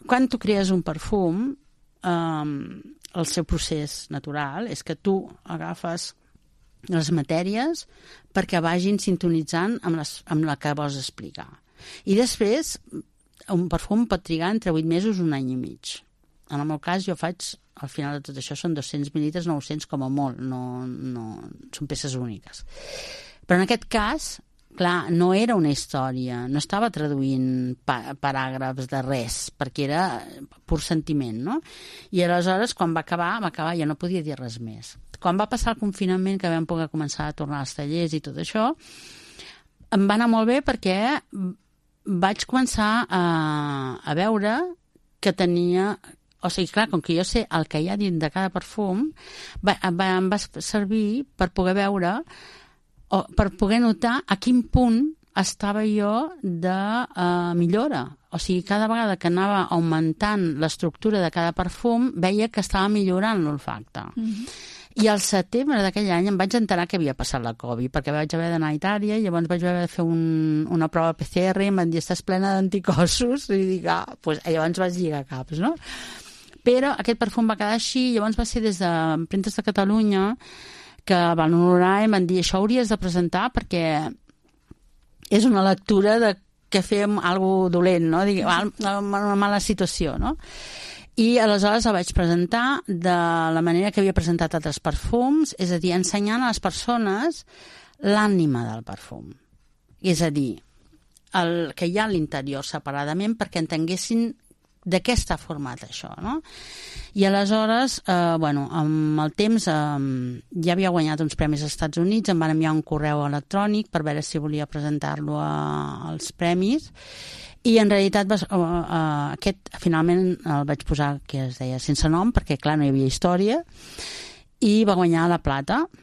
quan tu crees un perfum, el seu procés natural és que tu agafes les matèries perquè vagin sintonitzant amb la que vols explicar. I després, un perfum pot trigar entre 8 mesos i un any i mig. En el meu cas, jo faig, al final de tot això, són 200 mil·litres, 900 com a molt, no són peces úniques. Però en aquest cas, clar, no era una història, no estava traduint paràgrafs de res, perquè era pur sentiment, no? I aleshores, quan va acabar, ja no podia dir res més. Quan va passar el confinament, que vam poder començar a tornar als tallers i tot això, em va anar molt bé perquè vaig començar a veure que tenia... O sigui, clar, com que jo sé el que hi ha dins de cada perfum, em va servir per poder veure o per poder notar a quin punt estava jo de millora. O sigui, cada vegada que anava augmentant l'estructura de cada perfum, veia que estava millorant l'olfacte. I al setembre d'aquell any em vaig enterar que havia passat la Covid, perquè vaig haver d'anar a Itàlia i llavors vaig haver de fer una prova PCR i em van dir, estàs plena d'anticossos, i dic, doncs llavors vaig lligar caps, no? Però aquest perfum va quedar així, llavors va ser des d'Empremtes de Catalunya que van honorar i em van dir, això hauries de presentar perquè és una lectura de que fem alguna cosa dolent, no? Una mala situació, no? I aleshores el vaig presentar de la manera que havia presentat altres perfums, és a dir, ensenyant a les persones l'ànima del perfum. És a dir, el que hi ha a l'interior separadament perquè entenguessin de què està format això, no? I aleshores, amb el temps ja havia guanyat uns premis als Estats Units, em van enviar un correu electrònic per veure si volia presentar-lo als premis, i en realitat aquest finalment el vaig posar, que es deia sense nom, perquè clar, no hi havia història, i va guanyar la plata,